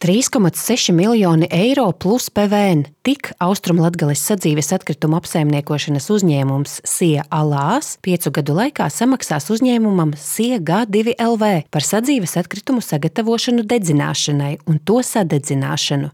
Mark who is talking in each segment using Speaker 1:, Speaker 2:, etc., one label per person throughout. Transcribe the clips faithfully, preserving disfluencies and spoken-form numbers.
Speaker 1: trīs komats seši miljoni eiro plus P V N. Tik Austrumlatgales sadzīves atkritumu apsaimniekošanas uzņēmums S I E Alās piecu gadu laikā samaksās uzņēmumam S I E G divi L V par sadzīves atkritumu sagatavošanu dedzināšanai un to sadedzināšanu.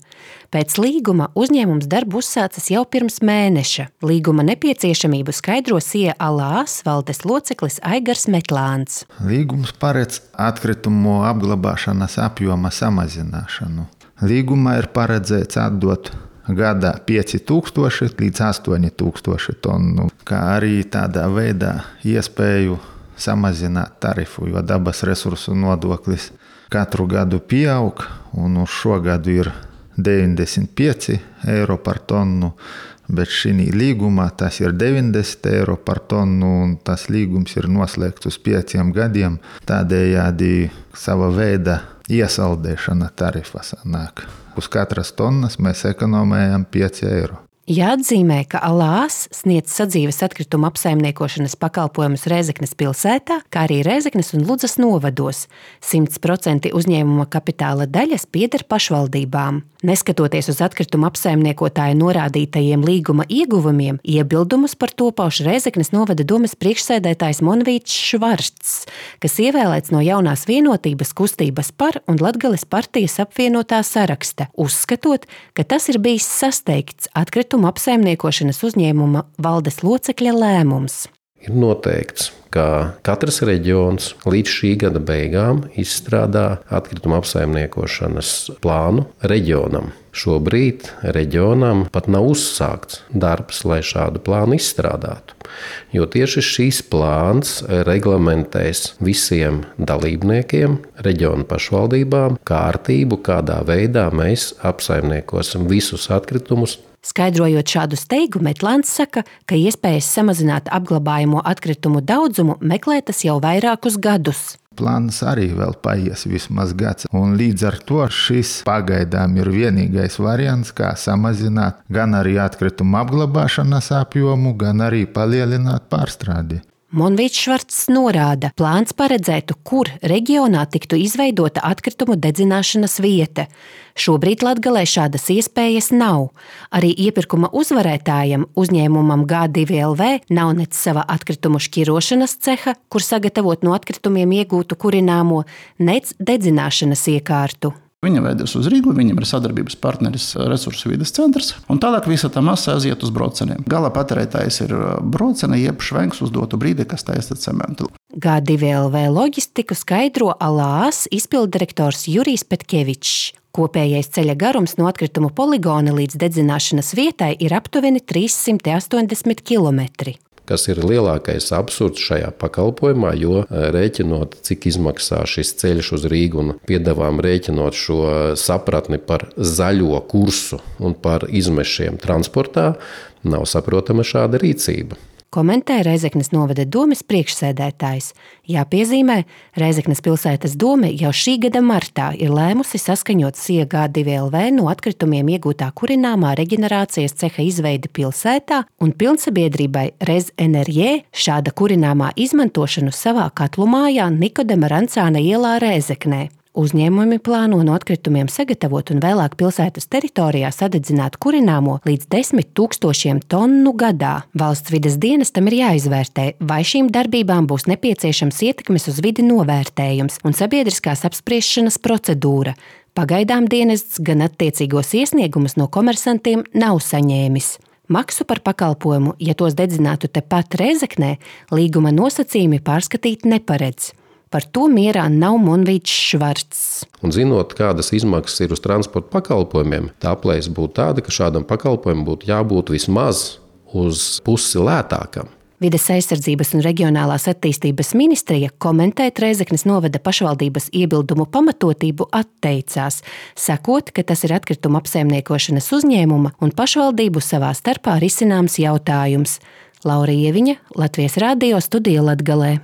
Speaker 1: Pēc līguma uzņēmums darbu uzsācis jau pirms mēneša. Līguma nepieciešamību skaidro S I E Alās valdes loceklis Aigars Metlāns.
Speaker 2: Līgums paredz atkritumu apglabāšanas apjoma samazināšanu. Līgumā ir paredzēts atdot gadā pieci tūkstoši līdz astoņi tūkstoši tonu, kā arī tādā veidā iespēju samazināt tarifu, jo dabas resursu nodoklis katru gadu pieaug, un uz šo gadu ir deviņdesmit pieci eiro par tonu, bet šī līgumā tas ir deviņdesmit eiro par tonu, un tas līgums ir noslēgts uz pieciem gadiem. Tādējādi sava veida iesaldēšana tarifa sanāk. Uz katras tonnas mēs ekonomējam pieci eiro.
Speaker 1: Jāatzīmē, ka Alās sniedz sadzīves atkritumu apsaimniekošanas pakalpojumus Rēzeknes pilsētā, kā arī Rēzeknes un Ludzas novados. simt procenti uzņēmuma kapitāla daļas pieder pašvaldībām. Neskatoties uz atkritumu apsaimniekotāju norādītajiem līguma ieguvumiem, iebildumus par to pauž Rēzeknes novada domes priekšsēdētājs Monvīts Švarcs, kas ievēlēts no jaunās vienotības kustības par un Latgales partijas apvienotā saraksta, uzskatot, ka tas ir bijis sasteigts atkritumu apsaimniekošanas uzņēmuma valdes locekļa lēmums.
Speaker 3: Ir noteikts, ka katrs reģions līdz šī gada beigām izstrādā atkrituma apsaimniekošanas plānu reģionam. Šobrīd reģionam pat nav uzsākts darbs, lai šādu plānu izstrādātu, jo tieši šīs plāns reglamentēs visiem dalībniekiem, reģionu pašvaldībām, kārtību, kādā veidā mēs apsaimniekosim visus atkritumus.
Speaker 1: Skaidrojot šādu steigu, Metlāns saka, ka iespējas samazināt apglabājamo atkritumu daudzumu meklētas jau vairākus gadus.
Speaker 2: Plāns arī vēl paies vismaz gads, un līdz ar to šis pagaidām ir vienīgais variants, kā samazināt gan arī atkritumu apglabāšanas apjomu, gan arī palielināt pārstrādi.
Speaker 1: Monvīts Švarcs norāda, plāns paredzētu, kur reģionā tiktu izveidota atkritumu dedzināšanas vieta. Šobrīd Latgalē šādas iespējas nav. Arī iepirkuma uzvarētājam, uzņēmumam G divi L V, nav nec sava atkritumu šķirošanas ceha, kur sagatavot no atkritumiem iegūtu kurināmo, nec dedzināšanas iekārtu.
Speaker 4: Viņa veidos uz Rīgu, viņam ir sadarbības partneris Resursu vides centrs, un tālāk visa tā masa aiziet uz brauceniem. Gala patērētājs ir braucene, jeb švenks uz dotu brīdi, kas taisa cementu.
Speaker 1: G divi L V loģistiku skaidro Alās izpilddirektors Jurijs Petkevičs. Kopējais ceļa garums no atkritumu poligona līdz dedzināšanas vietai ir aptuveni trīssimt astoņdesmit kilometri.
Speaker 3: Kas ir lielākais absurds šajā pakalpojumā, jo rēķinot, cik izmaksā šis ceļš uz Rīgu un piedāvām rēķinot šo sapratni par zaļo kursu un par izmešiem transportā, nav saprotama šāda rīcība.
Speaker 1: Komentē Rēzeknes novada domes priekšsēdētājs. Jāpiezīmē, Rēzeknes pilsētas dome jau šī gada martā ir lēmusi saskaņot S I E G divi L V no atkritumiem iegūtā kurināmā reģenerācijas ceha izveidi pilsētā un pilnsabiedrībai Rez Enerģē šāda kurināmā izmantošanu savā katlumājā Nikodema Rancāna ielā Rēzeknē. Uzņēmumi plāno no atkritumiem sagatavot un vēlāk pilsētas teritorijā sadedzināt kurināmo līdz desmit tūkstošiem tonu gadā. Valsts vides dienestam ir jāizvērtē, vai šīm darbībām būs nepieciešams ietekmes uz vidi novērtējums un sabiedriskās apspriešanas procedūra. Pagaidām dienests gan attiecīgos iesniegumus no komersantiem nav saņēmis. Maksu par pakalpojumu, ja tos dedzinātu tepat Rēzeknē, līguma nosacījumi pārskatīt neparedz. Par to mierā nav Monvīts Švarcs.
Speaker 3: Un zinot, kādas izmaksas ir uz transporta pakalpojumiem, tā aplēse būtu tāda, ka šādam pakalpojumam būtu jābūt vismaz uz pusi lētākam.
Speaker 1: Vides aizsardzības un reģionālās attīstības ministrija komentēt Rēzeknes novada pašvaldības iebildumu pamatotību atteicās, sakot, ka tas ir atkrituma apsaimniekošanas uzņēmuma un pašvaldību savā starpā risināms jautājums. Laura Ieviņa, Latvijas radio studija Latgalē.